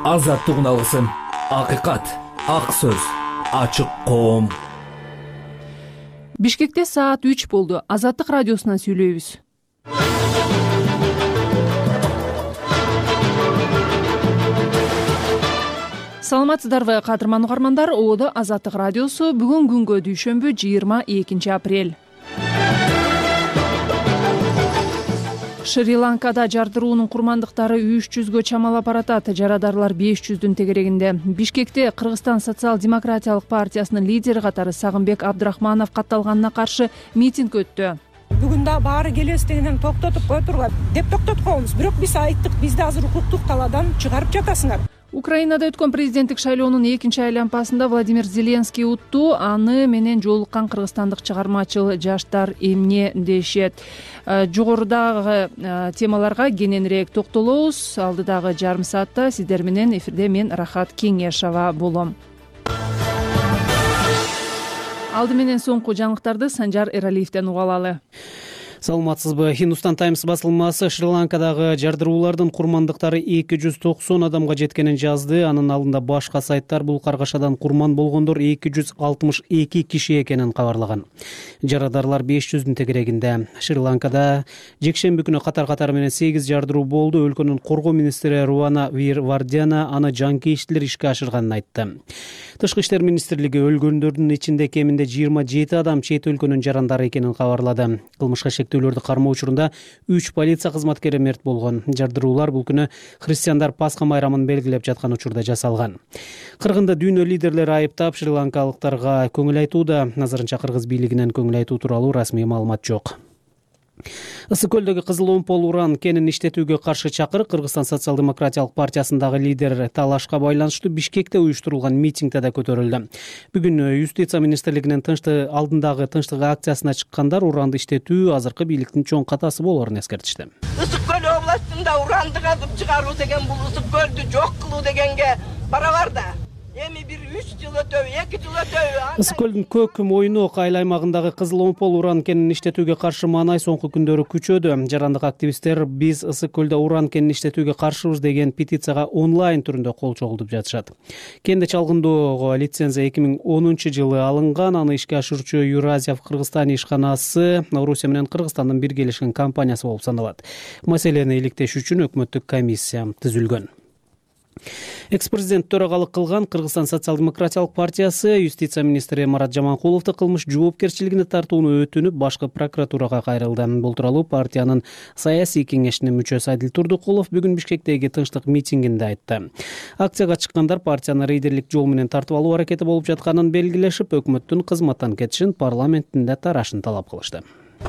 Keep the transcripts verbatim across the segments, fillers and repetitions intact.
азаттыгын алгысың. Акыйкат, ак сөз, ачык коом. Бишкекте саат үч болду. Азаттык радиосунан сүйлөйбүз. Саламатсыздарбы, кадырман угармандар. Оодо Азаттык радиосу. Бүгүн күнгө дүйшөмбү жыйырма экинчи апрель. Шри-Ланкада жардыруунун курмандыктары үч жүзгө чамалап баратат. Жарадарлар беш жүздүн тегерегинде. Бишкекте Кыргызстан социал-демократиялык партиясынын лидери катары Сагынбек Абдрахманов катталганына каршы митинг өттү. Бүгүн да баары келебиз дегенден токтотуп кой турган деп токтотуп коебуз. Бирок биз айттык, бизди азыр укуктук талаадан чыгарып жатасыңар. Украинада өткөн президенттик шайлоонун экинчи айланпасында Владимир Зеленский утту. Аны менен жолуккан кыргызстандык чыгармачыл жаштар эмне дешет? Жогорудагы темаларга кененирээк токтолобуз. Алдыдагы жарым саатта сиздер менен эфирде мен Рахат Кеңешова болом. Алды менен соңку жаңылыктарды Санжар Эралиевден уга алалы. Саламатсызбы. Hindustan Times басылмасы Шри-Ланкадагы жардыруулардын курмандыктары эки жүз токсон адамга жеткенин жазды. Анын алдында башка сайттар бул каргашадан курман болгондор эки жүз алтымыш эки киши экенин кабарлаган. Жарадарлар беш жүздүн тегерегинде. Шри-Ланкада жекшемби күнү катар-катары менен сегиз жардыруу болду. Өлкөнүн коргоо министри Руана Вирвардяна аны жанкештилер ишке ашырганын айтты. Тышкы иштер министрлиги өлгөндөрдүн ичинде кеминде жыйырма жети адам чет өлкөнүн жарандары экенин кабарлады. Кылмышка шектөөлөрдү кармоо учурунда үч полиция кызматкери мерт болгон. Жардыруулар бул күнү христиандар Пасха майрамын белгилеп жаткан учурда жасалган. Кыргында дүйнө лидерлери айыптап шри-ланкалыктарга көңүл айтууда. Азырынча кыргыз бийлигинен көңүл айтуу тууралуу расмий маалымат жок. Ысык көлдөгү кызыл омпол уран кенин иштетүүгө каршы чакырык Кыргызстан социал-демократиялык партиясындагы лидер талашка байланыштуу Бишкекте уюштурулган митингде да көтөрүлдү. Бүгүн юстиция министрлигинин тынчтык алдындагы тынчтык акциясына чыккандар уранды иштетүү азыркы бийликтин чоң катасы болоорун эскертишти. Ысык көл областында уранды казып чыгаруу деген бул ысык көлдү жок кылуу дегенге барабар да. Эми бир үч жыл өтөбү, эки жыл өтөбү. Ысык көлдүн көк мойнок айыл аймагындагы кызыл омпол уран кенин иштетүүгө каршы маанай соңку күндөрү күчөдү. Жарандык активисттер биз ысык көлдө уран кенин иштетүүгө каршыбыз деген петицияга онлайн түрүндө кол чогултуп жатышат. Кенди чалгындоого лицензия эки миң онунчу жылы алынган. Аны ишке ашыруучу Юразия в Кыргызстане ишканасы Орусия менен Кыргызстандын биргелешкен компаниясы болуп саналат. Маселени иликтеш үчүн өкмөттүк комиссия түзүлгөн. Экс-президент төрагалык кылган Кыргызстан социал-демократиялык партиясы юстиция министри Марат Жаманкуловду кылмыш жоопкерчилигине тартууну өтүнүп, башкы прокуратурага кайрылды. Бул тууралуу партиянын саясий кеңешинин мүчөсү Адил Турдукулов бүгүн Бишкектеги тынчтык митингинде айтты. Акцияга чыккандар партияны рейдерлик жол менен тартып алуу аракети болуп жатканын белгилешип, өкмөттүн кызматтан кетишин, парламенттин тарашын талап кылышты.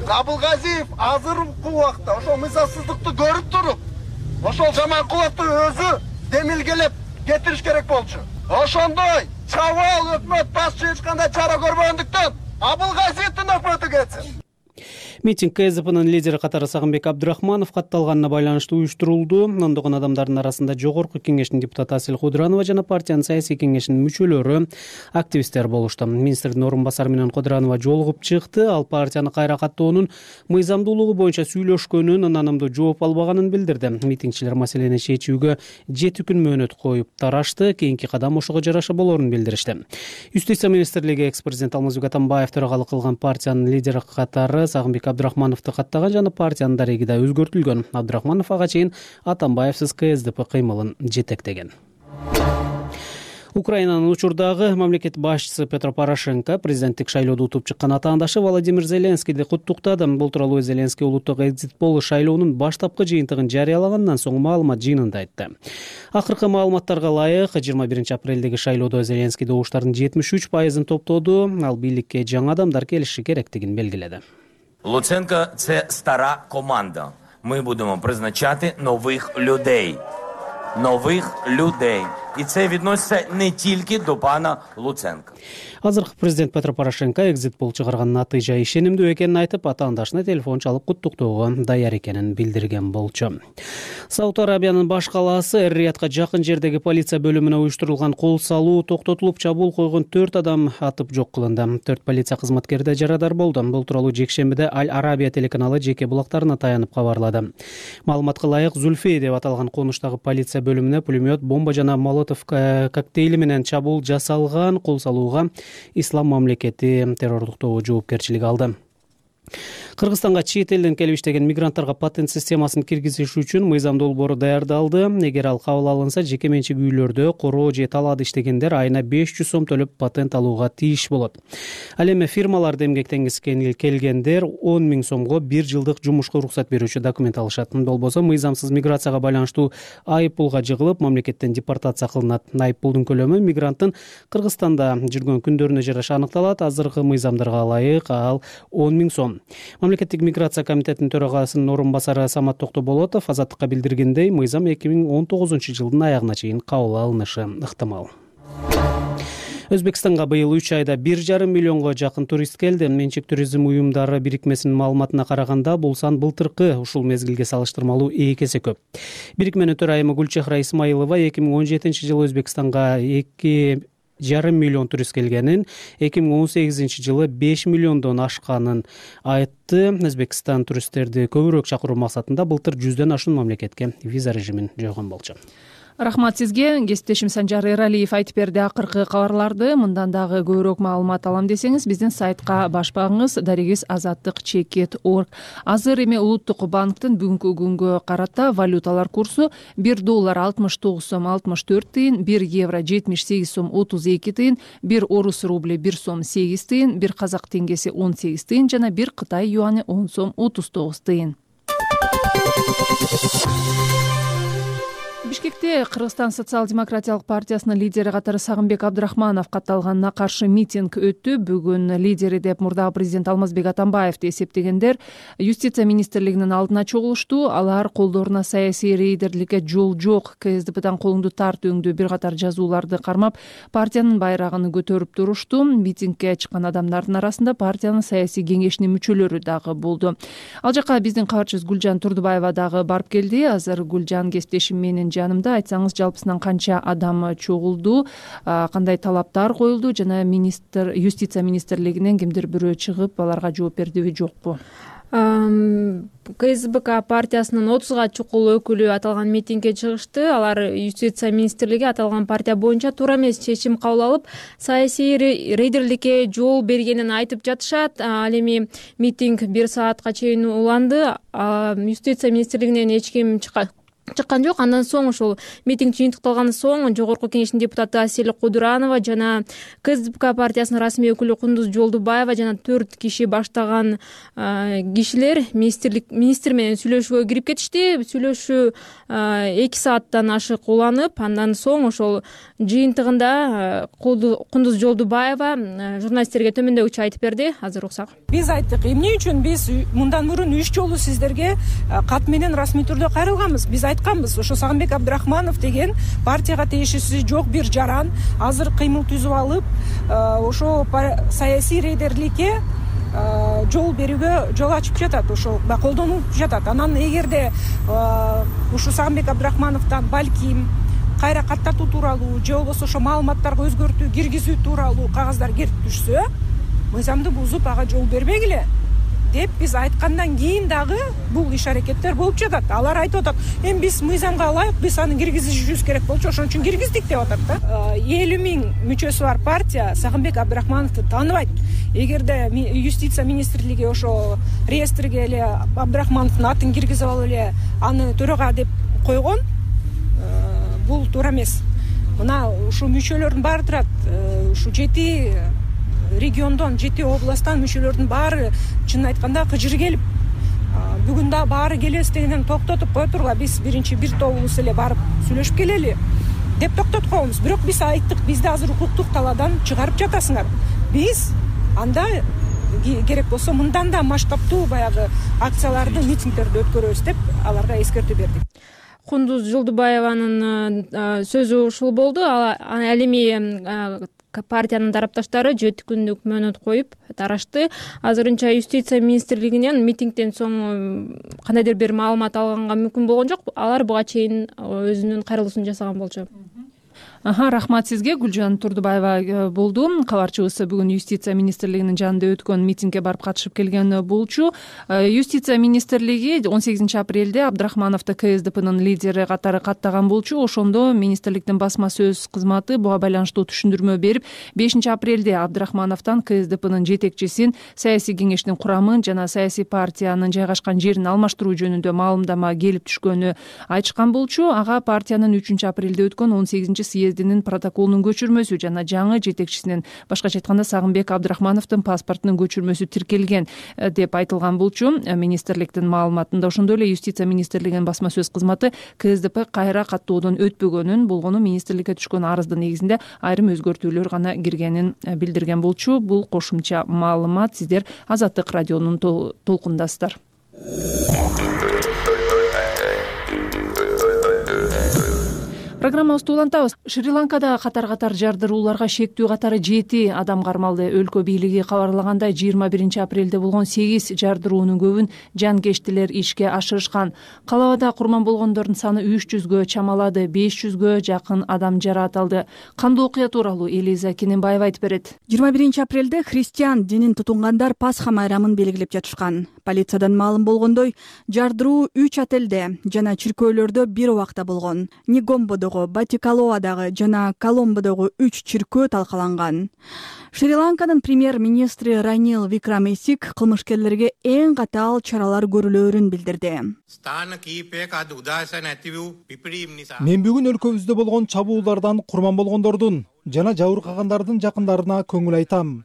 Абылгазиев азыркы убакта ошол мыйзамсыздыкты көрүп туруп, ошол Жаманкуловду өзү демилгелеп кетириш керек болчу. Ошондой чабал өкмөт башчы эч кандай чара көрбөгөндүктөн Абылгазиевдин өкмөтү кетсин. Митинг КСДПнын лидери катары Сагынбек Абдрахманов катталганына байланыштуу уюштурулду. Ондогон адамдардын арасында Жогорку кеңештин депутаты Асель Кудранова жана партиянын саясий кеңешинин мүчөлөрү, активисттер болушту. Министрдин орун басары менен Кудранова жолугуп чыкты. Ал партияны кайра каттоонун мыйзамдуулугу боюнча сүйлөшкөнүн, ынанымдуу жооп албаганын билдирди. Митингчилер маселени чечүүгө жети күн мөөнөт коюп тарашты. Кийинки кадам ошого жараша болоорун билдиришти. Юстиция министрлиги экс-президент Алмазбек Атамбаев төрагалык кылган партиянын лидери катары Сагынбек Абдрахмановду каттаган жана партиянын дареги да өзгөртүлгөн. Абдрахманов ага чейин Атамбаевсиз КСДП кыймылын жетектеген. Украинанын учурдагы мамлекет башчысы Петро Порошенко президенттик шайлоодо утуп чыккан атаандашы Владимир Зеленскийди куттуктады. Бул тууралуу Зеленский улуттук экзит пол шайлоонун баштапкы жыйынтыгын жарыялагандан соң маалымат жыйынында айтты. Акыркы маалыматтарга ылайык жыйырма биринчи апрелдеги шайлоодо Зеленский добуштардын жетимиш үч пайызын топтоду. Ал бийликке жаңы адамдар келиши керектигин белгиледи. Луценко – це стара команда. Ми будемо призначати нових людей. Нових людей. І це відноситься не тільки до пана Луценка. Азыркы президент Петро Порошенко экзит пол чыгарган натыйжа ишенимдүү экенин айтып, атаандашына телефон чалып куттуктоого даяр экенин билдирген болчу. Сауд Арабиянын баш калаасы Эр-Риядка жакын жердеги полиция бөлүмүнө уюштурулган кол салуу токтотулуп, чабуул койгон төрт адам атып жок кылынды. төрт полиция кызматкери да жарадар болду. Бул тууралуу жекшембиде Аль-Арабия телеканалы жеке булактарына таянып кабарлады. Маалыматка ылайык, Зульфей деп аталган конуштагы полиция бөлүмүнө пулемет, бомба жана молотов коктейли менен чабуул жасалган. Кол салууга Ислам мамлекети террордук тобу жоопкерчилик алды. Кыргызстанга чет элден келип иштеген мигранттарга патент системасын киргизиш үчүн мыйзам долбоору даярдалды. Эгер ал кабыл алынса, жеке менчик үйлөрдө короо же талаада иштегендер айына беш жүз сом төлөп патент алууга тийиш болот. Ал эми фирмаларда эмгектенгиси келгендер он миң сомго бир жылдык жумушка уруксат берүүчү документ алышат. Болбосо мыйзамсыз миграцияга байланыштуу айып пулга жыгылып, мамлекеттен депортация кылынат. Айып пулдун көлөмү мигранттын Кыргызстанда жүргөн күндөрүнө жараша аныкталат. Азыркы мыйзамдарга ылайык ал он миң сом. Мамлекеттик миграция комитетинин төрагасынын орун басары Самат Токтоболотов Азаттыкка билдиргендей, мыйзам эки миң он тогузунчу жылдын аягына чейин кабыл алынышы ыктымал. Өзбекстанга быйыл үч айда бир жарым миллионго жакын турист келди. Менчик туризм уюмдары бирикмесинин маалыматына караганда, бул сан былтыркы ушул мезгилге салыштырмалуу эки эсе көп. Бирикменин төрайымы Гүлчехра Исмаилова эки миң он жетинчи жылы Өзбекстанга эки жарым миллион турист келгенин, эки миң он сегизинчи жылы беш миллиондон ашканын айтты. Өзбекстан туристтерди көбүрөөк чакыруу максатында былтыр жүздөн ашуун мамлекетке виза режимин жойгон болчу. Рахмат сизге. Кесиптешим Санжар Эралиев айтып берди акыркы кабарларды. Мындан дагы көбүрөөк маалымат алам десеңиз, биздин сайтка баш багыңыз дарегиз азаттык чекит точка орг. Азыр эми Улуттук банктын бүгүнкү күнгө карата валюталар курсу бир доллар алтымыш тогуз сом алтымыш төрт тыйын, бир евро жетимиш сегиз сом отуз эки тыйын, бир орус рубли бир сом сегиз тыйын, бир казак теңгеси он сегиз тыйын жана бир Кытай юаны он сом отуз тогуз тыйын. Бишкекте Кыргызстан социал-демократиялык партиясынын лидери катары Сагынбек Абдрахманов катталганына каршы митинг өттү. Бүгүн лидери деп мурдагы президент Алмазбек Атамбаевди эсептегендер юстиция министрлигинин алдына чогулушту. Алар колдоруна саясий рейдерликке жол жок, КСДПдан колуңду тарт өңдүү бир катар жазууларды кармап, партиянын байрагын көтөрүп турушту. Митингге чыккан адамдардын арасында партиянын саясий кеңешинин мүчөлөрү дагы болду. Ал жака биздин кабарчыбыз Гүлжан Турдубаева дагы барып келди. Азыр Гүлжан, кесиптешим менен жанымда. Айтсаңыз, жалпысынан канча адам чогулду, кандай талаптар коюлду жана министр юстиция министрлигинен кимдир бирөө чыгып аларга жооп бердиби, жокпу? КСБК партиясынын отузга чукул өкүлү аталган митингге чыгышты. Алар юстиция министрлиги аталган партия боюнча туура эмес чечим кабыл алып, саясий рейдерликке жол бергенин айтып жатышат. Ал эми митинг бир саатка чейин уланды. Юстиция министрлигинен эч ким чыккан чыккан жок. Андан соң ошол митинг жыйынтыкталгандан соң Жогорку кеңештин депутаты Асель Кудуранова жана КСДП партиясынын расмий өкүлү Кундуз Жолдубаева жана төрт киши баштаган кишилер министрлик министр менен сүйлөшүүгө кирип кетишти. Сүйлөшүү эки сааттан ашык уланып, андан соң ошол жыйынтыгында Кундуз Жолдубаева журналисттерге төмөндөгүчө айтып берди. Азыр уксак. Биз айттык, эмне үчүн биз мындан мурун үч жолу сиздерге кат менен расмий түрдө кайрылганбыз. Биз айтканбыз, ошо Сагынбек Абдрахманов деген партияга тиешеси жок бир жаран азыр кыймыл түзүп алып, ошо саясий рейдерликке жол берүүгө жол ачып жатат, ошол колдонуп жатат. Анан эгерде ушу Сагынбек Абдрахмановдон балким кайра каттатуу тууралуу же болбосо ошо маалыматтарга өзгөртүү киргизүү тууралуу кагаздар келип түшсө, мыйзамды бузуп ага жол бербегиле деп биз айткандан кийин дагы бул иш аракеттер болуп жатат. Алар айтып атат, эми биз мыйзамга ылайык биз аны киргизишибиз керек болчу, ошон үчүн киргиздик деп атат да. элүү миң мүчөсү бар партия Сагынбек Абдрахмановду тааныбайт. Эгерде юстиция министрлиги ошо реестрге эле Абдрахмановдун атын киргизип алып эле аны төрага деп койгон, бул туура эмес. Мына ушу мүчөлөрдүн баары турат, ушу жети региондон, жети областтан мүчөлөрдүн баары чынын айтканда кыжыр келип, бүгүн да баары келебиз дегенден токтотуп кое тургула, биз биринчи бир тобубуз эле барып сүйлөшүп келели деп токтотуп койгонбуз. Бирок биз айттык, бизди азыр укуктук талаадан чыгарып жатасыңар. Биз анда керек болсо мындан да масштабтуу баягы акцияларды, митингдерди өткөрөбүз деп аларга эскертүү бердик. Кундуз Жолдубаеванын сөзү ушул болду. Ал эми партиянын тарапташтары жети күндүк мөөнөт коюп тарашты. Азырынча юстиция министрлигинен митингден соң кандайдыр бир маалымат алганга мүмкүн болгон жок. Алар буга чейин өзүнүн кайрылуусун жасаган болчу. Аха, рахмат сизге. Гүлжан Турдубаева болду. Кабарчыбыз бүгүн юстиция министрлигинин жанында өткөн митингге барып катышып келген болчу. Юстиция министрлиги он сегизинчи апрелде Абдрахмановду КСДПнын лидери катары каттаган болчу. Ошондо министрликтин басма сөз кызматы буга байланыштуу түшүндүрмө берип, бешинчи апрелде Абдрахмановдон КСДПнын жетекчисин, саясий кеңештин курамын жана саясий партиянын жайгашкан жерин алмаштыруу жөнүндө маалымдама келип түшкөнү айтышкан болчу. Ага партиянын үчүнчү апрелде өткөн он сегизинчи съездинин протоколунун көчүрмөсү жана жаңы жетекчисинин, башкача айтканда Сагынбек Абдрахмановдун паспортунун көчүрмөсү тиркелген деп айтылган болчу. Министрликтин маалыматында ошондой эле юстиция министрлигинин басма сөз кызматы КСДП кайра каттоодон өтпөгөнүн, болгону министрликке түшкөн арыздын негизинде айрым өзгөртүүлөр гана киргенин билдирген болчу. Бул кошумча маалымат сиздер Азаттык радионун толкундасыздар. Программабызды улантабыз. Шри-Ланкада катар-катар жардырууларга шектүү катары жети адам кармалды. Өлкө бийлиги кабарлагандай, жыйырма биринчи апрелде болгон сегиз жардыруунун көбүн жанкештилер ишке ашырышкан. Калабада курман болгондордун саны үч жүзгө чамалады, беш жүзгө жакын адам жараат алды. Кандуу окуя тууралуу Элиза Кененбаева айтып берет. жыйырма биринчи апрелде христиан динин тутунгандар Пасха майрамын белгилеп жатышкан. Полициядан маалым болгондой, жардыруу үч отелде жана чиркөөлөрдө бир убакта болгон. Нигомбодо, Батикалоадагы жана Коломбодогу үч чиркөө талкаланган. Шри-Ланканын премьер-министри Ранил Викрамесик кылмышкерлерге эң катаал чаралар көрүлөөрүн билдирди. Мен бүгүн өлкөбүздө болгон чабуулдардан курман болгондордун жана жабыркагандардын жакындарына көңүл айтам.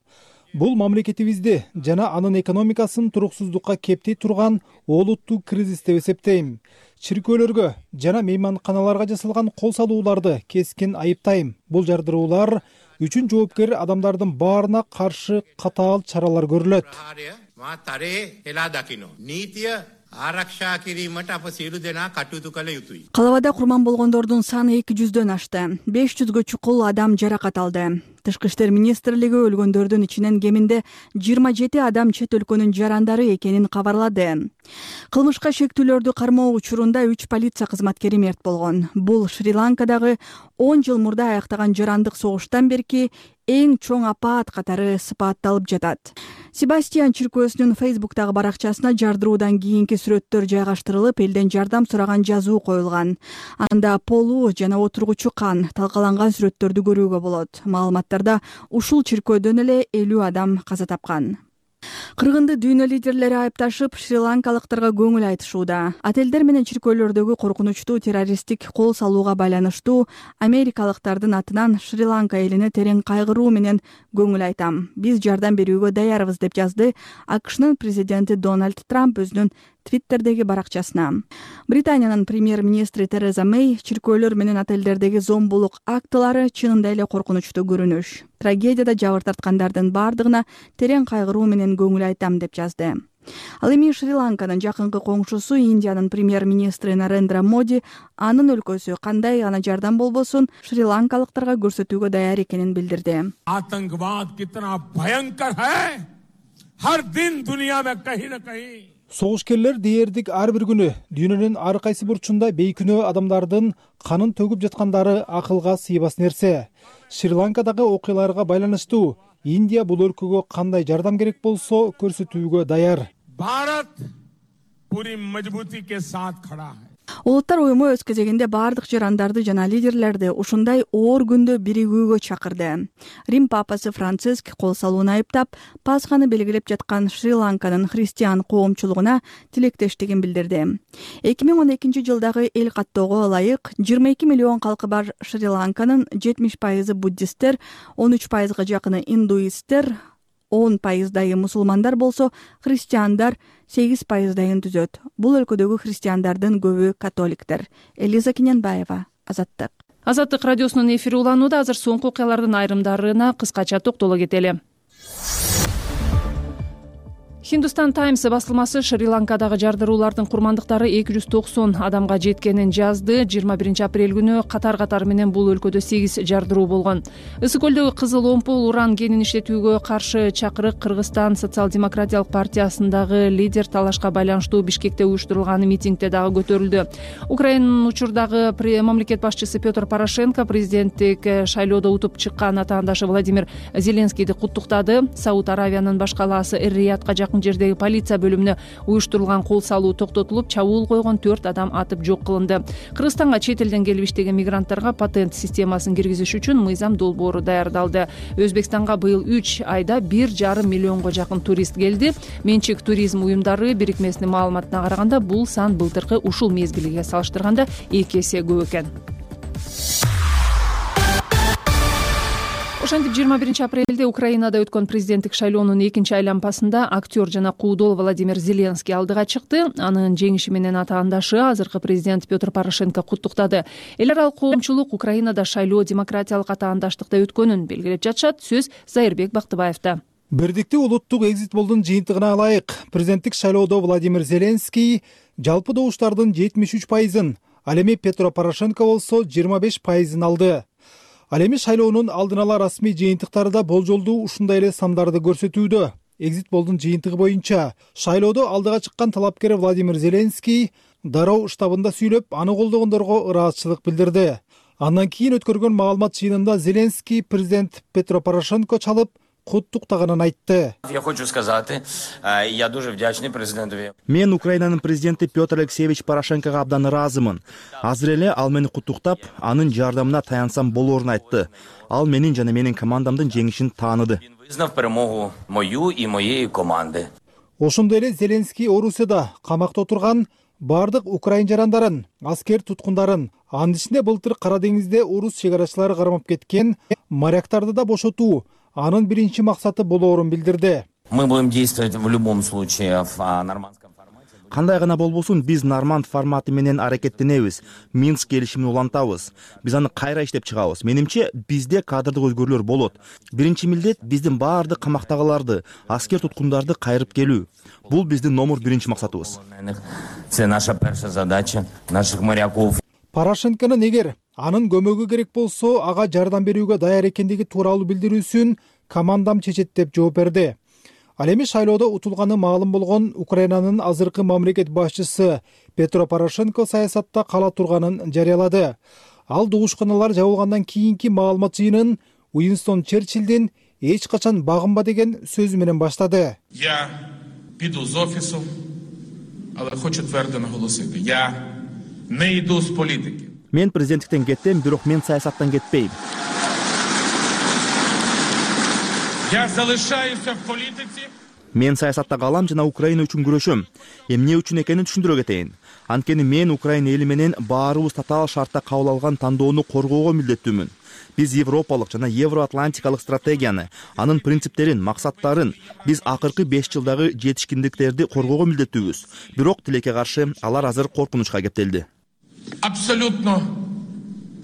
Бул мамлекетибизди жана анын экономикасын туруксуздукка кептей турган олуттуу кризис деп эсептейм. Чиркөөлөргө жана мейманканаларга жасалган кол салууларды кескин айыптайм. Бул жардыруулар үчүн жоопкер адамдардын баарына каршы катаал чаралар көрүлөт. Калабада курман болгондордун саны эки жүздөн ашты. беш жүзгө чукул адам жаракат алды. Тышкы иштер министрлиги өлгөндөрдүн ичинен кеминде жыйырма жети адам чет өлкөнүн жарандары экенин кабарлады. Кылмышка шектүүлөрдү кармоо учурунда үч полиция кызматкери мерт болгон. Бул Шри-Ланкадагы он жыл мурда аяктаган жарандык согуштан берки эң чоң апаат катары сыпатталып жатат. Себастьян чиркөөсүнүн Фейсбуктагы баракчасына жардыруудан кийинки сүрөттөр жайгаштырылып, элден жардам сураган жазуу коюлган. Анда полу жана отургучу кан талкаланган сүрөттөрдү көрүүгө болот. Маалыматтарда ушул чиркөөдөн эле элүү адам каза тапкан. Кыргынды дүйнө лидерлери айыпташып, шри-ланкалыктарга көңүл айтышууда. Отелдер менен чиркөөлөрдөгү коркунучтуу террористтик кол салууга байланыштуу америкалыктардын атынан Шри-Ланка элине терең кайгыруу менен көңүл айтам. Биз жардам берүүгө даярбыз деп жазды АКШнын президенти Дональд Трамп өзүнүн Твиттердеги баракчасына. Британиянын премьер-министри Тереза Мэй чиркөөлөр менен отелдердеги зомбулук актылары чынында эле коркунучтуу көрүнүш. Трагедияда жабыр тарткандардын бардыгына терең кайгыруу менен көңүл айтам деп жазды. Ал эми Шри-Ланканын жакынкы коңшусу Индиянын премьер-министри Нарендра Моди анын өлкөсү кандай гана жардам болбосун шри-ланкалыктарга көрсөтүүгө даяр экенин билдирди. आतंकवाद कितना भयंकर है हर दिन दुनिया में कहीं न कहीं Согушкерлер дээрдик ар бир күнү дүйнөнүн ар кайсы бурчунда бейкүнөө адамдардын канын төгүп жаткандары акылга сыйбас нерсе. Шри-Ланкадагы окуяларга байланыштуу Индия бул өлкөгө кандай жардам керек болсо көрсөтүүгө даяр. भारत पूरी मजबूती के साथ खड़ा है. Улуттар уюму өз кезегинде бардык жарандарды жана лидерлерди ушундай оор күндө биригүүгө чакырды. Рим папасы Франциск кол салууну айыптап, Пасханы белгилеп жаткан Шри-Ланканын христиан коомчулугуна тилектештигин билдирди. эки миң он экинчи жылдагы эл каттоого ылайык жыйырма эки миллион калкы бар Шри-Ланканын жетимиш пайызы буддисттер, он үч пайызга жакыны индуисттер, он пайыздайы мусулмандар болсо, христиандар сегиз пайыздайын түзөт. Бул өлкөдөгү христиандардын көбү католиктер. Элиза Кененбаева, Азаттык. Азаттык радиосунун эфири уланууда. Азыр соңку окуялардын айрымдарына кыскача токтоло кетели. Hindustan Times басылмасы Шри-Ланкадагы жардыруулардын курмандыктары эки жүз токсон адамга жеткенин жазды. жыйырма биринчи апрель күнү катар-катар менен бул өлкөдө сегиз жардыруу болгон. Ысык көлдөгү кызыл омпул уран кенин иштетүүгө каршы чакырык Кыргызстан социал-демократиялык партиясындагы лидер талашка байланыштуу Бишкекте уюштурулган митингде дагы көтөрүлдү. Украинанын учурдагы мамлекет башчысы Петр Порошенко президенттик шайлоодо утуп чыккан атаандашы Владимир Зеленскийди куттуктады. Сауд Аравиянын баш калаасы Эр-Риядка жакын жердеги полиция бөлүмүнө уюштурулган кол салуу токтотулуп, чабуул койгон төрт адам атып жок кылынды. Кыргызстанга чет элден келип иштеген мигранттарга патент системасын киргизиш үчүн мыйзам долбоору даярдалды. Өзбекстанга быйыл үч айда бир жарым миллионго жакын турист келди. Менчик туризм уюмдары бирикмесинин маалыматына караганда, бул сан былтыркы ушул мезгилге салыштырганда эки эсе көп экен. Ошентип жыйырма биринчи апрелде Украинада өткөн президенттик шайлоонун экинчи айланпасында актер жана куудол Владимир Зеленский алдыга чыкты. Анын жеңиши менен атаандашы азыркы президент Петр Порошенко куттуктады. Эл аралык коомчулук Украинада шайлоо демократиялык атаандаштыкта өткөнүн белгилеп жатышат. Сөз Зайырбек Бактыбаевда. Бирдиктүү улуттук экзит полдун жыйынтыгына ылайык президенттик шайлоодо Владимир Зеленский жалпы добуштардын жетимиш үч пайызын, ал эми Петро Порошенко болсо жыйырма беш пайызын алды. Ал эми шайлоонун алдын ала расмий жыйынтыктары да болжолдуу ушундай эле сандарды көрсөтүүдө. Экзит полдун жыйынтыгы боюнча шайлоодо алдыга чыккан талапкер Владимир Зеленский дароо штабында сүйлөп, аны колдогондорго ыраазычылык билдирди. Андан кийин өткөргөн маалымат жыйынында Зеленский президент Петро Порошенко чалып куттуктаганын айтты. Я хочу сказать, я дуже вдячный президенту. Мен Украинанын президенти Петр Алексеевич Порошенкого абдан ыраазымын. Азыр эле ал мени куттуктап, анын жардамына таянсам болоорун айтты. Ал менин жана менин командамдын жеңишин тааныды. Вызнав перемогу мою и моей команды. Ошондой эле Зеленский Орусияда камакта отурган бардык украин жарандарын, аскер туткундарын, анын ичинде былтыр Кара деңизде орус чек арачылары кармап кеткен моряктарды да бошотуу анын биринчи максаты болоорун билдирди. Мы будем действовать в любом случае в нормандском формате. Кандай гана болбосун, биз норманд форматы менен аракеттенебиз. Минск келишимин улантабыз. Биз аны кайра иштеп чыгабыз. Менимче, бизде кадрдык өзгөрүүлөр болот. Биринчи милдет биздин баардык камактагыларды, аскер туткундарды кайрып келүү. Бул биздин номер биринчи максатыбыз. Это наша первая задача наших моряков. Порошенконун эгер анын көмөгү керек болсо, ага жардам берүүгө даяр экендиги тууралуу билдирүүсүн командам чечет деп жооп берди. Ал эми шайлоодо утулганы маалым болгон Украинанын азыркы мамлекет башчысы Петро Порошенко саясатта кала турганын жарыялады. Ал дуушканалар жабылгандан кийинки маалымат жыйынын Уинстон Черчиллдин эч качан багынба деген сөзү менен баштады. Я піду з офісу, але хочу твердо наголосити. Я не йду з політики. Мен президенттиктен кеттем, бирок мен саясаттан кетпейм. Я залишаюся в політиці. Мен саясатта калам жана Украина үчүн күрөшөм. Эмне үчүн экенин түшүндүрө кетейин. Анткени мен Украина эли менен баарыбыз татаал шартта кабыл алган тандоону коргоого милдеттүүмүн. Биз европалык жана евроатлантикалык стратегияны, анын принциптерин, максаттарын, биз акыркы беш жылдагы жетишкиндиктерди коргоого милдеттүүбүз. Бирок тилекке каршы алар азыр коркунучка кептелди. Абсолютно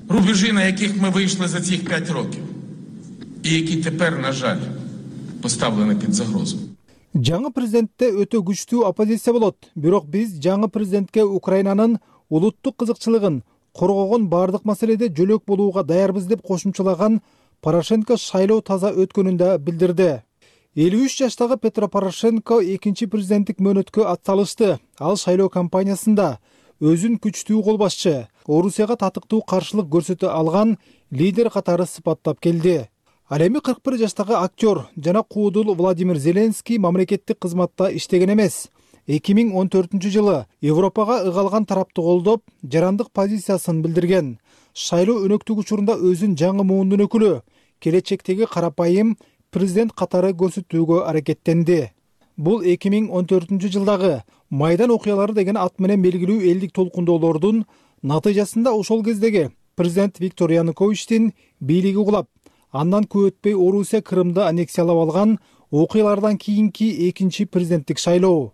рубежі, на яких ми вийшли за цих п'ять років, і які тепер, на жаль, поставлені під загрозу. Жаңы президентте өтө күчтүү оппозиция болот. Бирок биз жаңы президентке Украинанын улуттук кызыкчылыгын коргогон бардык маселеде жөлөк болууга даярбыз деп кошумчалаган Порошенко шайлоо таза өткөнүн да билдирди. элүү үч жаштагы Петро Порошенко экинчи президенттик мөөнөткө атталышты. Ал шайлоо кампаниясында өзүн күчтүү кол башчы, Орусияга татыктуу каршылык көрсөтө алган лидер катары сыпаттап келди. Ал эми кырк бир жаштагы актер жана куудул Владимир Зеленский мамлекеттик кызматта иштеген эмес. эки миң он төртүнчү жылы Европага ыгалган тарапты колдоп, жарандык позициясын билдирген. Шайлоо өнөктүк учурунда өзүн жаңы муундун өкүлү, келечектеги карапайым президент катары көрсөтүүгө аракеттенди. Бул эки миң он төртүнчү жылдагы Майдан окуялары деген ат менен белгилүү элдик толкундоолордун натыйжасында ошол кездеги президент Виктор Януковичтин бийлиги кулап, андан көп өтпөй Орусия Крымды аннексиялап алган окуялардан кийинки экинчи президенттик шайлоо.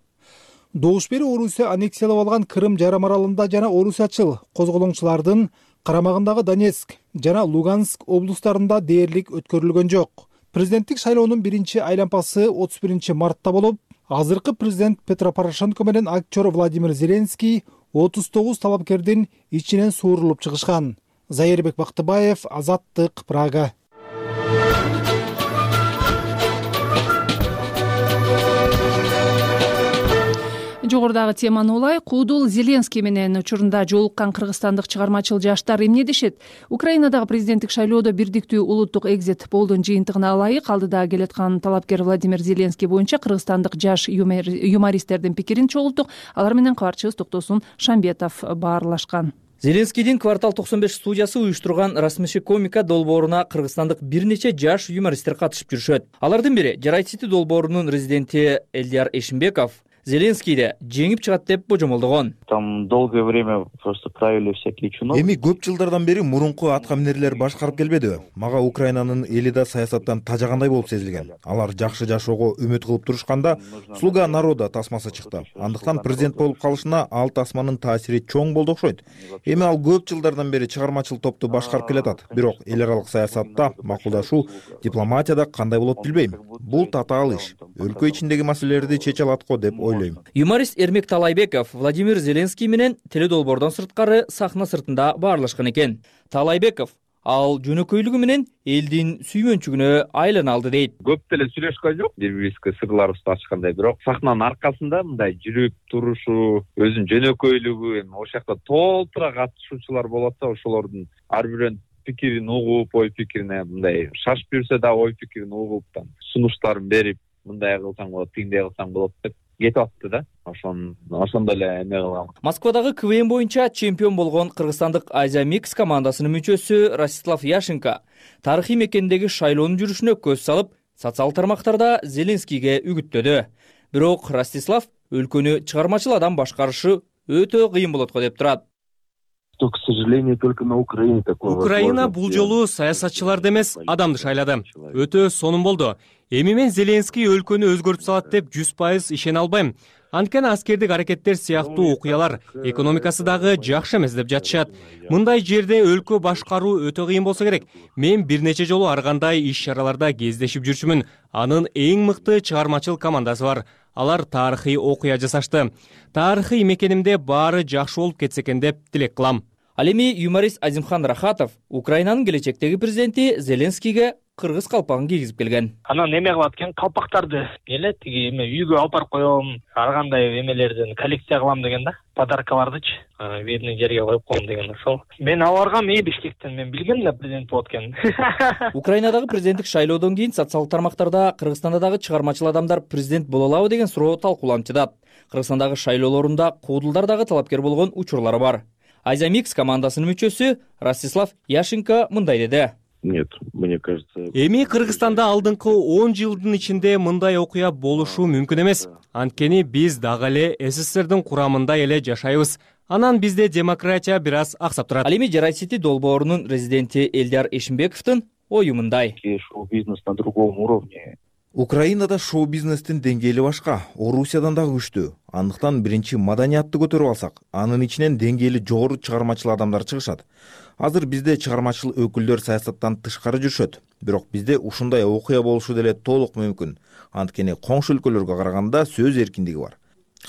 Добуш бери Орусия аннексиялап алган Крым жарым аралында жана орусиячыл козголоңчулардын карамагындагы Донецк жана Луганск облустарында дээрлик өткөрүлгөн жок. Президенттик шайлоонун биринчи айланпасы отуз биринчи мартта болуп, азыркы президент Петро Порошенко менен актер Владимир Зеленский отуз тогуз талапкердин ичинен суурулуп чыгышкан. Зайырбек Бактыбаев, Азаттык, Прага. Жогорудагы теманы улай, Куудул Зеленский менен учурунда жолуккан кыргызстандык чыгармачыл жаштар эмне дешет? Украинадагы президенттик шайлоодо бирдиктүү улуттук экзит полдун жыйынтыгына ылайык алдыда келаткан талапкер Владимир Зеленский боюнча кыргызстандык жаш юмористтердин пикирин чогулттук. Алар менен кабарчыбыз Токтосун Шамбетов баарлашкан. Зеленскийдин Квартал токсон беш студиясы уюштурган Расмеши комика долбооруна кыргызстандык бир нече жаш юмористтер катышып жүрүшөт. Алардын бири Жарай Сити долбоорунун резиденти Элдияр Эшимбеков Зеленскийди жеңип чыгат деп божомолдогон. Там долгое время просто правили всякие чиновники. Эми көп жылдардан бери мурунку аткаминерлер башкарып келбедиби? Мага Украинанын эли да саясаттан тажагандай болуп сезилген. Алар жакшы жашоого үмүт кылып турушканда слуга народа тасмасы чыкты. Андыктан президент болуп калышына ал тасманын таасири чоң болду окшойт. Эми ал көп жылдардан бери чыгармачыл топту башкарып келатат. Бирок эл аралык саясатта макулдашуу, дипломатияда кандай болот билбейм. Бул татаал иш. Өлкө ичиндеги маселелерди чече алат го деп ойлойм. Юморист Эрмек Талайбеков Владимир Зеленский менен теледолбоордон сырткары сахна сыртында баарлашкан экен. Талайбеков ал жөнөкөйлүгү менен элдин сүймөнчүгүнө айлана алды дейт. Көп деле сүйлөшкөн жок, бири-бирибизге сырларыбызды ачкандай, бирок сахнанын аркасында мындай жүрүп турушу, өзүнүн жөнөкөйлүгү, эми ошол жакта толтура катышуучулар болот да, ошолордун ар бирөөнүн пикирин угуп, ой пикирине мындай шашып жүрсө да ой пикирин угуп, сунуштарын берип, мындай кылсаң болот, тигиндей кылсаң болот деп кетип атты да. Ошон ошондо эле эме кылгам. Москвадагы КВН боюнча чемпион болгон кыргызстандык Азия Микс командасынын мүчөсү Ростислав Яшенко тарыхый мекендеги шайлоонун жүрүшүнө көз салып, социал тармактарда Зеленскийге үгүттөдү. Бирок Ростислав өлкөнү чыгармачыл адам башкарышы өтө кыйын болот го деп турат. К сожалению, только на Украине такое. Украина бул жолу саясатчыларды эмес, адамды шайлады. Өтө сонун болду. Эми мен Зеленский өлкөнү өзгөртүп салат деп жүз пайыз ишене албайм. Анткени аскердик аракеттер сыяктуу окуялар экономикасы дагы жакшы эмес деп жатышат. Мындай жерде өлкө башкаруу өтө кыйын болсо керек. Мен бир нече жолу ар кандай иш-чараларда кездешип жүрчүмүн. Анын эң мыкты чыгармачыл командасы бар. Алар тарыхый окуя жасашты. Тарыхый мекенимде баары жакшы болуп кетсе экен деп тилек кылам. Ал эми юморист Азимхан Рахатов Украинанын келечектеги президенти Зеленскийге кыргыз калпагын кийгизип келген. Анан эме кылат экен, калпактарды эле тиги эме үйгө алып барып коем, ар кандай эмелерден коллекция кылам деген да. Подаркалардычы видный жерге коюп коем деген ошол. Мен аларга мен Бишкектен мен билгем да президент болот экенин. Украинадагы президенттик шайлоодон кийин социал тармактарда Кыргызстанда дагы чыгармачыл адамдар президент боло алабы деген суроо талкууланып жатат. Кыргызстандагы шайлоолорунда куудулдар дагы талапкер болгон учурлары бар. Азия Микс командасынын мүчөсү Ростислав Яшенко мындай деди. Нет, мне кажется. Эми Кыргызстанда алдыңкы он жылдын ичинде мындай окуя болушу мүмкүн эмес. Анткени биз дагы эле СССРдин курамында эле жашайбыз. Анан бизде демократия бир аз аксап турат. Ал эми Жарай Сити долбоорунун резиденти Элдияр Эшимбековдун ою мындай. Шоу-бизнес на другом уровне. Украинада шоу-бизнестин деңгээли башка, Орусиядан дагы күчтүү. Андыктан биринчи маданиятты көтөрүп алсак, анын ичинен деңгээли жогору чыгармачыл адамдар чыгышат. Азыр бизде чыгармачыл өкүлдөр саясаттан тышкары жүрүшөт. Бирок бизде ушундай окуя болушу деле толук мүмкүн. Анткени коңшу өлкөлөргө караганда сөз эркиндиги бар.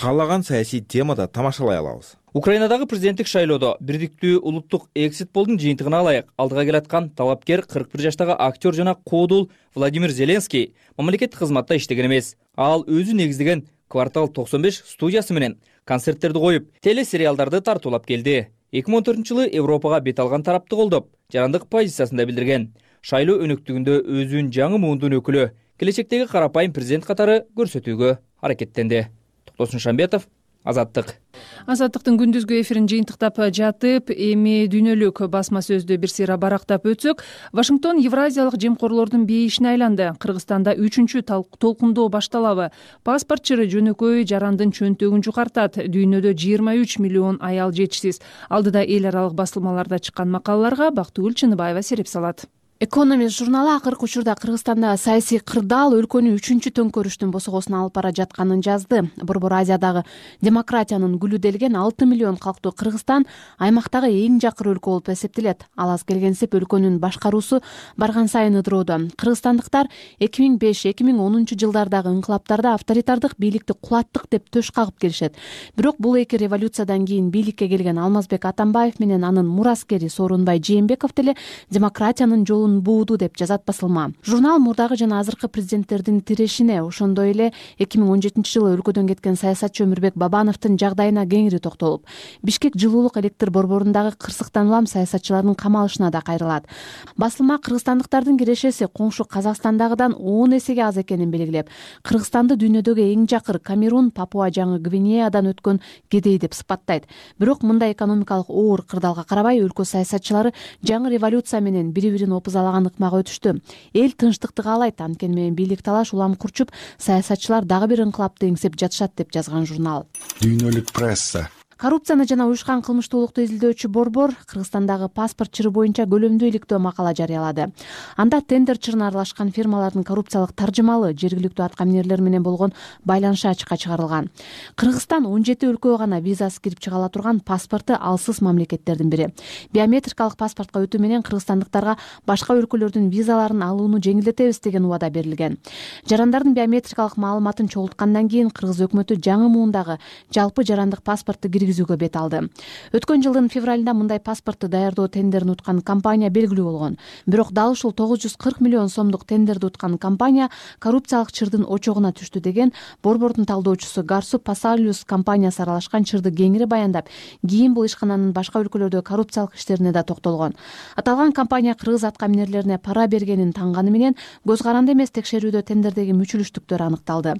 Каалаган саясий темада тамашалай алабыз. Украинадагы президенттик шайлоодо бирдиктүү улуттук экзит полдун жыйынтыгына ылайык алдыга келаткан талапкер кырк бир жаштагы актер жана куудул Владимир Зеленский мамлекеттик кызматта иштеген эмес. Ал өзү негиздеген Квартал токсон беш студиясы менен концерттерди коюп, телесериалдарды тартуулап келди. эки миң он төртүнчү жылы Европага бет алган тарапты колдоп, жарандык позициясында билдирген. Шайлоо өнөктүгүндө өзүн жаңы муундун өкүлү, келечектеги карапайым президент катары көрсөтүүгө аракеттенди. Токтосун Шамбетов, Азаттык. Азаттыктын күндүзгү эфирин жыйынтыктап жатып, эми дүйнөлүк басма сөздү бир сыйра барактап өтсөк, Вашингтон Евразиялык жемкорлордун бейишине айланды. Кыргызстанда үчүнчү толкундоо башталабы. Паспортчыры жөнөкөй жарандын чөнтөгүн жукартат. Дүйнөдө жыйырма үч миллион аял жетишсиз. Алдыда эл аралык басылмаларда чыккан макалаларга Бактыгүл Чыныбаева сереп салат. Экономист журналы акыркы учурда Кыргызстанда саясий кырдаал өлкөнү үчүнчү төңкөрүштүн босогосуна алып бара жатканын жазды. Борбор Азиядагы демократиянын гүлү делген алты миллион калктуу Кыргызстан аймактагы эң жакыр өлкө болуп эсептелет. Ал аз келгенсип өлкөнүн башкаруусу барган сайын ыдыроодо. Кыргызстандыктар эки миң беш эки миң онунчу жылдардагы инкылаптарда авторитардык бийликти кулаттык деп төш кагып келишет. Бирок бул эки революциядан кийин бийликке келген Алмазбек Атамбаев менен анын мураскери Сооронбай Жээнбеков деле демократиянын жолун бууду деп жазат басылма. Журнал мурдагы жана азыркы президенттердин тирешине, ошондой эле эки миң он жетинчи жылы өлкөдөн кеткен саясатчы Өмүрбек Бабановдун жагдайына кеңири токтолуп, Бишкек жылуулук электр борборундагы кырсыктан улам саясатчылардын камалышына да кайрылат. Басылма кыргызстандыктардын кирешеси коңшу Казакстандагыдан он эсеге аз экенин белгилеп, Кыргызстанды дүйнөдөгү эң жакыр Камерун, Папуа жаңы Гвинеядан өткөн кедей деп сыпаттайт. Бирок мындай экономикалык оор кырдаалга карабай өлкө саясатчылары жаңы революция менен бири-бирин опузалаган ыкмага өтүштү. Эл тынчтыкты каалайт, анткени менен бийлик талаш улам курчуп, саясатчылар дагы бир инкылапты эңсеп жатышат деп жазган журнал. Дүйнөлүк пресса. Коррупцияны жана уюшкан кылмыштуулукту изилдөөчү борбор Кыргызстандагы паспорт чыры боюнча көлөмдүү иликтөө макала жарыялады. Анда тендер чырына аралашкан фирмалардын коррупциялык таржымалы жергиликтүү атка минерлер менен болгон байланышы ачыкка чыгарылган. Кыргызстан он жети өлкөгө гана визасыз кирип чыга ала турган паспорту алсыз мамлекеттердин бири. Биометрикалык паспортко өтүү менен кыргызстандыктарга башка өлкөлөрдүн визаларын алууну жеңилдетебиз деген убада берилген. Жарандардын биометрикалык маалыматын чогулткандан кийин кыргыз өкмөтү жаңы муундагы жалпы жарандык паспортду киргизүүгө бет алды. Өткөн жылдын февралында мындай паспортду даярдоо тендерин уткан компания белгилүү болгон. Бирок дал ушул тогуз жүз кырк миллион сомдук тендерди уткан компания коррупциялык чырдын очогуна түштү деген борбордун талдоочусу Гарсу Пасалиус компаниясы аралашкан чырды кеңири баяндап, кийин бул ишкананын башка өлкөлөрдө коррупциялык иштерине да токтолгон. Аталган компания кыргыз атка минерлерине пара бергенин таңганы менен көз каранды эмес текшерүүдө тендердеги мүчүлүштүктөр аныкталды.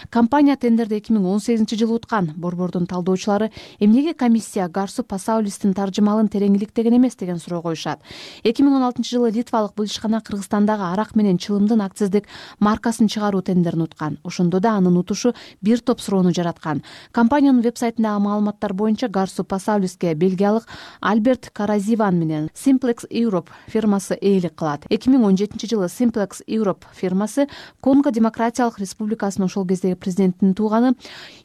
Компания тендерди эки миң он сегизинчи жылы уткан. Борбордун талдоочулары эмнеге комиссия Гарсу Пасаулистин таржымалын терең иликтеген эмес деген суроо коюшат. эки миң он алтынчы жылы литвалык бул ишкана Кыргызстандагы арак менен чылымдын акциздик маркасын чыгаруу тендерин уткан. Ошондо да анын утушу бир топ суроону жараткан. Компаниянын вебсайтындагы маалыматтар боюнча Гарсу Пасаулиске бельгиялык Альберт Каразиван менен Simplex Europe фирмасы ээлик кылат. эки миң он жетинчи жылы Simplex Europe фирмасы Конго Демократиялык Республикасынын ошол кездеги президентинин тууганы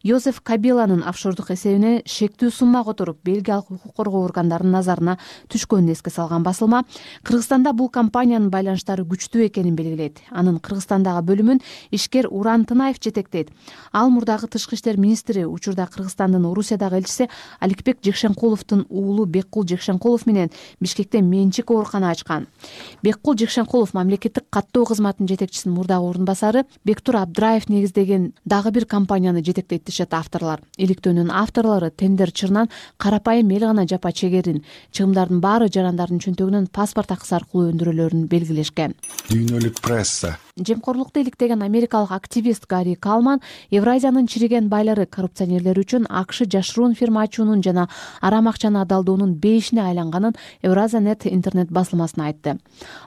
Йозеф Кабиланын офшордук эсебине шектүү сумма которуп бельгиялык укук коргоо органдарынын назарына түшкөнүн эске салган басылма Кыргызстанда бул компаниянын байланыштары күчтүү экенин белгилейт. Анын Кыргызстандагы бөлүмүн ишкер Уран Тынаев жетектейт. Ал мурдагы тышкы иштер министри, учурда Кыргызстандын Орусиядагы элчиси Аликбек Жекшенкуловдун уулу Беккул Жекшенкулов менен Бишкекте менчик оорукана ачкан. Беккул Жекшенкулов мамлекеттик каттоо кызматынын жетекчисинин мурдагы орун басары Бектур Абдраев негиздеген дагы бир компанияны жетектейт дешет авторлор. Иликтөөнүн авторлору тендер чырынан карапайым эл гана жапа чегерин, чыгымдардын баары жарандардын чөнтөгүнөн паспорт акысы аркылуу өндүрүлөрүн белгилешкен. Дүйнөлүк пресса. Жемкорлукту иликтеген америкалык активист Гарри Калман Евразиянын чириген байлары коррупционерлери үчүн АКШ жашыруун фирма ачуунун жана арам акчаны адалдоонун бейишине айланганын Евразия.нет интернет басылмасына айтты.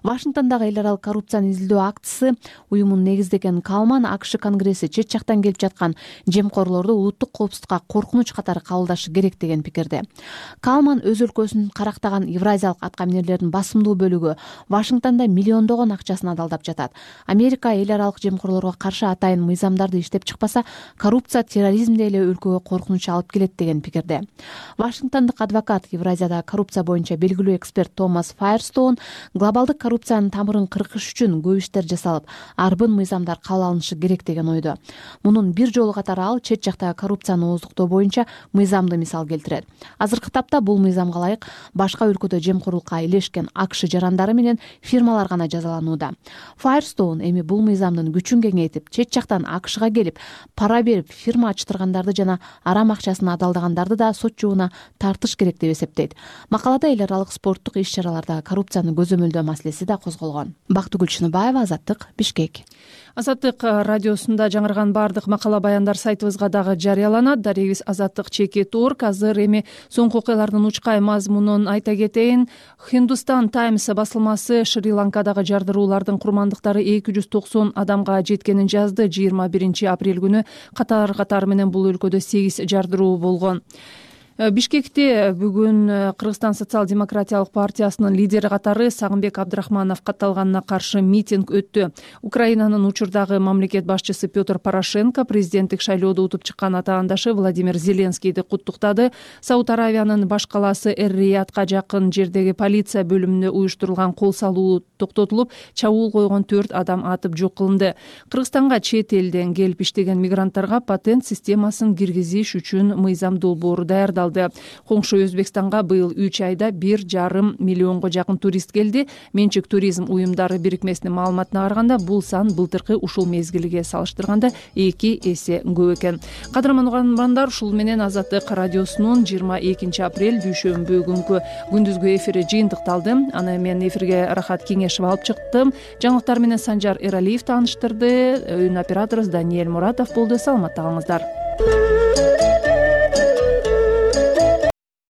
Вашингтондагы эл аралык коррупцияны изилдөө акцысы уюмун негиздеген Калман АКШ конгресси чет жактан келип жаткан жемкорлорду улуттук коопсуздукка коркунуч катары кабылдашы керек деген пикирде. Калман өз өлкөсүн карактаган евразиялык атка минерлердин басымдуу бөлүгү Вашингтондо миллиондогон акчасын адалдап жатат. Америка эл аралык жемкорлорго каршы атайын мыйзамдарды иштеп чыкпаса, коррупция терроризмди эле өлкөгө коркунуч алып келет деген пикирде. Вашингтондук адвокат, Евразиядагы коррупция боюнча белгилүү эксперт Томас Файерстоун глобалдык коррупциянын тамырын кыркыш үчүн көп иштер жасалып, арбын мыйзамдар кабыл алынышы керек деген ойдо. Мунун бир жолу катары ал чет жактагы коррупцияны ооздуктоо боюнча мыйзамды мисал келтирет. Азыркы тапта бул мыйзамга ылайык башка өлкөдө жемкорлукка илешкен АКШ жарандары менен фирмалар гана жазаланууда. Файерстоун эми бул мыйзамдын күчүн кеңейтип, чет жактан АКШга келип, пара берип, фирма ачтыргандарды жана арам акчасын адалдагандарды да сот жобуна тартыш керек деп эсептейт. Макалада эл аралык спорттук иш-чараларда коррупцияны көзөмөлдөө маселеси да козголгон. Бактыгүл Чыныбаева, Азаттык, Бишкек. Азаттык радиосунда жаңырган баардык макала баяндар сайтыбызга дагы жарыяланат. Дарегибиз Азаттык чекит орг. Азыр эми соңку окуялардын учкай мазмунун айта кетейин. Hindustan Times басылмасы Шри-Ланкадагы жардыруулардын курмандыктары эки жүз токсон адамга жеткенин жазды. жыйырма биринчи апрель күнү катар катары менен бул өлкөдө сегиз жардыруу болгон. Бишкекте бүгүн Кыргызстан социал-демократиялык партиясынын лидери катары Сагынбек Абдрахманов катталганына каршы митинг өттү. Украинанын учурдагы мамлекет башчысы Петр Порошенко президенттик шайлоодо утуп чыккан атаандашы Владимир Зеленскийди куттуктады. Сауд Аравиянын баш калаасы Эр-Риядка жакын жердеги полиция бөлүмүндө уюштурулган кол салуу токтотулуп, чабуул койгон төрт адам атып жок кылынды. Кыргызстанга чет элден келип иштеген мигранттарга патент системасын киргизиш үчүн мыйзам долбоору даярдалды. Коңшу Өзбекстанга быйыл үч айда бир жарым миллионго жакын турист келди. Менчик туризм уюмдары бирикмесинин маалыматына караганда, бул сан былтыркы ушул мезгилге салыштырганда эки эсе көп экен. Кадырман угармандар, ушул менен Азаттык радиосунун жыйырма экинчи апрель дүйшөмбү күнкү күндүзгү эфири жыйынтыкталды. Аны мен эфирге Рахат Кеңешов алып чыктым. Жаңылыктар менен Санжар Эралиев тааныштырды. Өн операторубуз Даниэль Муратов болду. Саламатта калыңыздар.